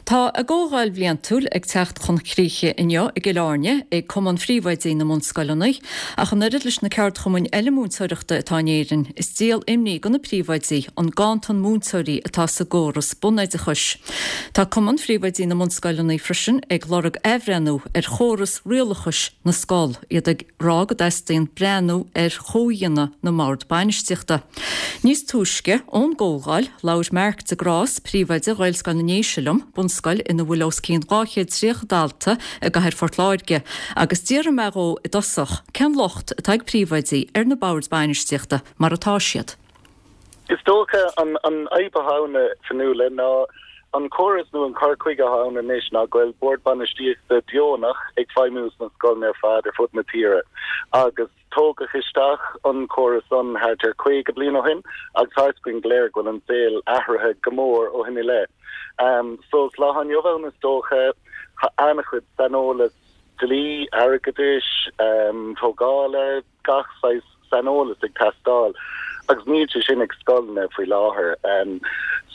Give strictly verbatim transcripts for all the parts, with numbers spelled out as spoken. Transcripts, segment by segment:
Tá a gcomhdháil bhliantúil ag teacht chun críche inniu i gCill Airne ag Cumann Phríomhoidí na mBunscoileanna, ach an oiread leis na ceardchumainn eile múinteoireachta atá in Éirinn, is díol imní do na príomhoidí an ganntan múinteoirí atá sa gcóras bunoideachais. Tá Cumann Phríomhoidí na mBunscoileanna freisin ag lorg athbhreithniú ar chóras rialachais na scol, iad ag rá go dteastaíonn breathnú ar chomhdhéanamh na mbord bainistíochta. Níos túisce ón gcomhdháil, labhair Mark de Grás, príomhoide Ghaelscoil na nDéise liom, bunscoil ina bhfuil os cionn dhá chéad tríocha dalta i gcathair Phort Láirge, agus d'iarr mé dhó i dtosach cén locht atá ag príomhoidí ar na boird bainistíochta mar atá siad. Is dócha an an fhadhb atá ann, a Fionnuala, ná an córas nó an cur chuige atá ann anois ná go bhfuil bord bainistíochta deonach ag feidhmiú sna scoileanna ar fad ar fud na tíre agus tógadh isteach an córas san thart ar caoga bliain ó shin agus tá a fhios againn go léir go bhfuil an saol athraithe go mór ó shin i leith. Um, so sa lá inniu ann is dócha tá an-chuid saineolas dlí, airgeadais, um, tógála, gach saghas saineolas ag teastáil agus níl sé sin ag scoileanna faoi láthair. Um,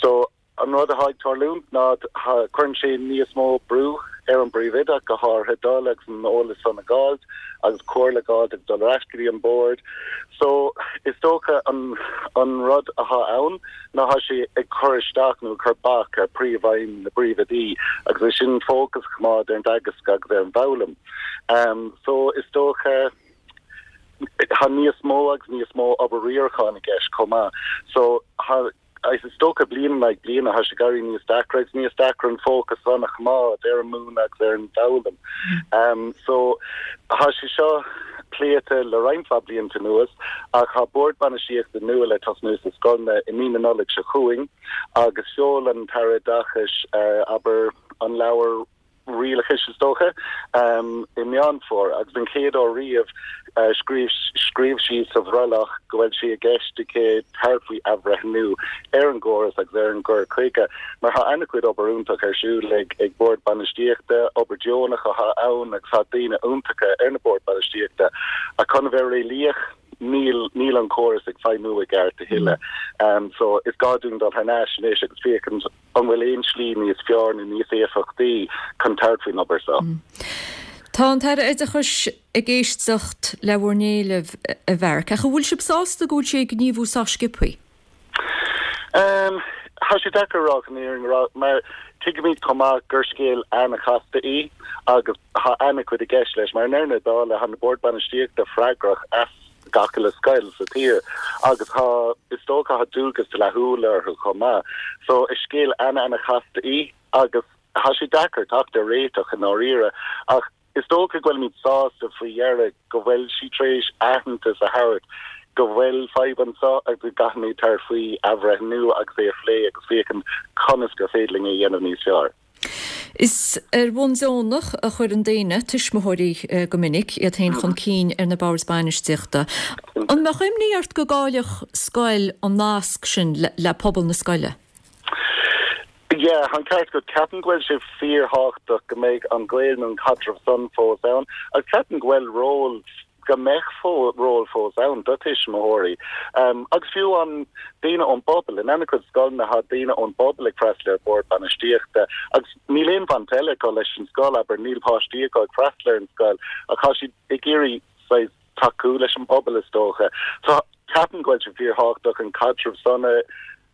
so an rud atá ag tarlúint ná cuireann sé níos mó brú ar an bpríomhoide go háirithe dul agus an eolas san a fháil agus comhairle a fháil ag dul ar ais go dtí an bord. So is dócha an an rud atá ann ná tá sé ag cur isteach nó cur bac ar príomhfheidhm na bpríomhoidí agus é sin fócas a choimeád ar an dteagasc agus ar an bhfoghlaim. Um, so is dócha tá níos mó agus níos mó obair riaracháin i gceist chomh maith. So ha is dócha bliain le bliain tá sé ag éirí níos deacra agus níos deacra an fócas san a choimeád ar an múineadh agus ar an bhfoghlaim. Um, so tá sé seo pléite le roinnt mhaith blianta anuas ach tá bord bainistíochta nua le tosnú sa scoileanna i mí na Nollag seo chugainn agus sheol an tAire Oideachais uh, abair an leabhar rialachais is dócha um, i Meán Fómhair agus an chéad uair riamh uh, scríobh scríobh sí sa bhrollach go bhfuil sé i gceist aici tabhairt faoi athbhreithniú ar an gcóras agus ar an gcur chuige mar tá an-chuid obair iontach ar siúl ag ag bord bainistíochta obair deonach atá ann agus tá daoine iontacha ar na boird bainistíochta a chun bheith réalaíoch níl níl an córas ag feidhmiú i gceart a thuilleadh. Um, so is gá dúinn dul thar n-ais anois agus féachaint an bhfuil aon slí níos fearr nó níos éifeachtaí chun tabhairt faoin obair seo. Mm. Tá an tAire Oideachais ag éisteacht le bhur n-éilimh a Mhark, ach an bhfuil sibh sásta go bhfuil sé ag gníomhú sách sciobtha? Um, Tá sé deacair rá an mar tuigimid chomh maith gur scéal an-chasta í agus tá an-chuid i gceist leis mar i ndeireadh na dála tá na boird bainistíochta freagrach as gach uile scoil sa tír agus tá is dócha tá dualgas dlíthiúil orthu chomh maith. So is scéal an-an-chasta í agus tá sé deacair teacht ar réiteach i ndáiríre ach is dócha go bhfuilimid sásta faoi dheireadh go bhfuil sí tar éis aitheantas a thabhairt go bhfuil fadhb anseo agus go gcaithfimid tabhairt faoi athbhreithniú agus é a phlé agus féachaint conas gur féidir linn é a dhéanamh níos fearr. Is ar bhonn deonach a chuireann daoine tuismitheoirí eh, go minic iad féin chun cinn ar na boird bainistíochta. An mbeadh imní ort go gcaillfeadh scoil an nasc sin le, le pobal na scoile? Yeah, an ceart agat ceapaim go bhfuil sé fíorthábhachtach go mbeidh an gaol nó an caidreamh san fós ann agus ceapaim go bhfuil ról go mbeidh ról fós ann do tuismitheoirí. Um, agus fiú an daoine ón bpobal in an-chuid scoileanna tá daoine ón bpobal ag freastal ar bord bainistíochta agus níl aon bhaint eile acu leis an scoil abair níl páistí acu ag freastal ar an scoil ach tá siad ag iarraidh tacú leis an bpobal is dócha. So ceapaim go bhfuil sé fíorthábhachtach an caidreamh san a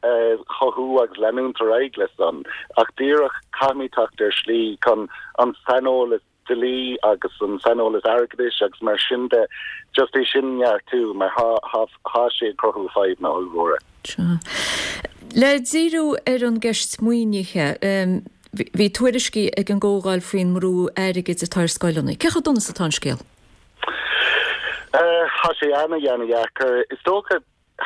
uh, chothú agus leanúint ar aghaidh leis san ach díreach caithfimid teacht ar slí chun an saineolas dlí agus an saineolas airgeadais agus mar sin de just é sin neartú mar tá sé ag cruthú fadhbanna ollmhóra. Le díriú ar an gceist maoinithe, um, bhí tuairiscí ag an gcomhdháil faoin mbrú airgid atá ar scoileanna. Cé chomh dona is atá an scéal? Tá sé an-an-dheacair is dócha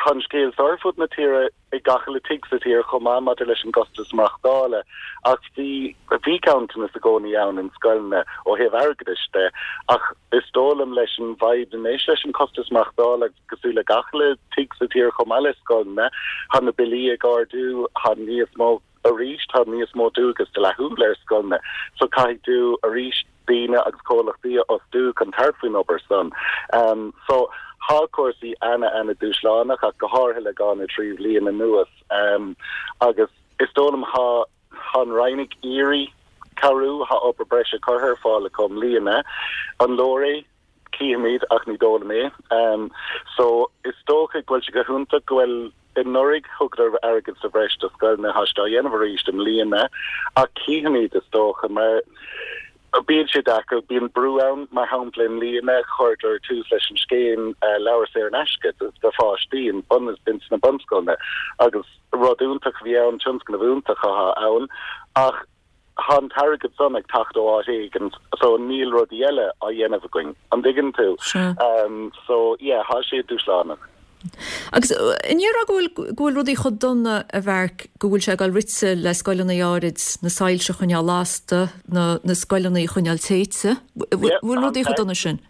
an scéal ar fud na tíre ag gach uile tigh sa tír chomh maith maidir leis an gcostas maireachtála ach bhí bhí ganntanas i gcónaí ann in scoileanna ó thaobh airgeadais de ach is dóigh liom leis an bhfadhb anois leis an costas maireachtála cosúil le gach uile tigh sa tír chomh maith le scoileanna tá na billí ag ardú tá níos mó arís tá níos mó dualgas dlíthiúil ar scoileanna so caithfidh tú arís daoine agus comhlachtaí a fhostú chun tabhairt faoin obair san. Um, so tá cúrsaí an-an-dúshlánach ach go háirithe le dhá nó trí bhliain anuas um, agus is dóigh liom tá Tá an Roinn ag iarraidh cabhrú tá obair breise curtha ar fáil acu i mbliana. An leor é cífimid ach ní dóigh liom é. Um, so is dócha go bhfuil sé go hiontach go bhfuil anuraidh thugadar airgead sa bhreis do scoileanna tá siad á dhéanamh arís i mbliana ach cífimid is dócha mar bíonn sé deacair bíonn brú ann mar shampla i mbliana chuireadar tús leis an scéim uh, leabhar saor in aisce do pháistí in bun bin sna bunscoileanna agus rud iontach bhí ann tionscnamh iontach ann ach tá an t-airgead san ag teacht ó áit éigin so níl rudaí eile á dhéanamh againn an dtuigeann tú um, so yeah tá sé dúshlánach. Agus an ndéarfá go bhfuil go bhfuil rudaí chomh dona a Mharc go bhfuil sé ag dul rite le scoileanna áirid na soilse a choinneáil lasta na na scoileanna a choinneáil téite bhfuil rudaí chomh dona sin.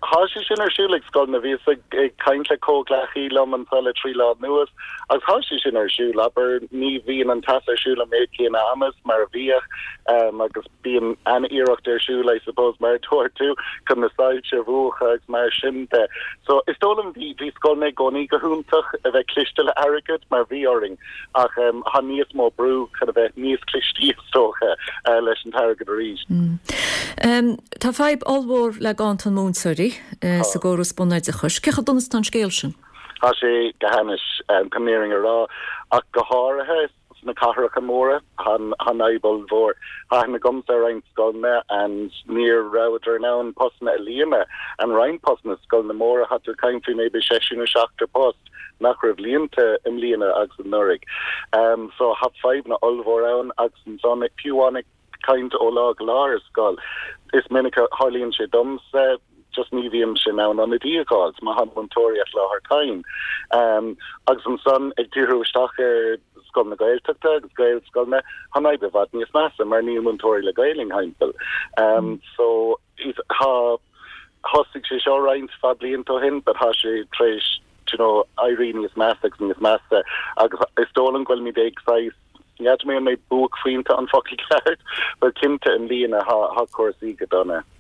Tá sé sin ar siúl ag scoileanna bhíos ag ag caint le comhghleacaí liom anseo le trí lá anuas agus tá sé sin ar siúl abair ní bhíonn an teas ar siúl an méid céanna ama mar a bhíodh um, agus bíonn an-iarracht ar siúl I suppose mar dúirt tú chun na soilse a mhúchadh agus mar sin de. So is dóigh liom bhí bhí scoileanna i gcónaí go hiontach a bheith cliste le airgead mar bhí orainn ach um, tá níos mó brú chun a bheith níos clistí is dócha uh, leis an t-airgead arís. Mm. Um, tá fadhb ollmhór le ganntan múinteoirí uh, sa gcóras bunoideachais. Cé chomh dona is atá an scéal sin? Tá sé go hainnis um, chun an fhírinne a rá ach go háirithe sna cathracha móra tá an fhadhb mhór. Tá na gomsa roinnt scoileanna and níor rabhadar in ann postanna a líonadh an roinnt postanna scoileanna móra tá tú ag caint faoi maybe sé nó seachtar post nach raibh líonta i mbliana agus anuraidh. Um, so tá fadhbanna ollmhór ann agus ansan fiú ag caint ó lá go lá ar scoil. Is minic a tharlaíonn sé domsa just ní bhím in ann ionadaí a fháil má tá múinteoirí as láthair cain. Um, agus ansan ag díriú isteach ar scoil na Gaeltachta agus Gaelscoileanna tá an fhadhb i bhfad níos measa mar níl múinteoirí le Gaeilge timpeall. Um, mm. so ha thosaigh sé seo roinnt mhaith blianta ó shin, but tá sé tar éis you know, éirí níos measa agus níos measa agus is dóigh liom go bhfuilimid ag saghas N'fheadar mé an mé buaicphointe an focal ceart, but cinnte i mbliana tá cúrsaí go dona.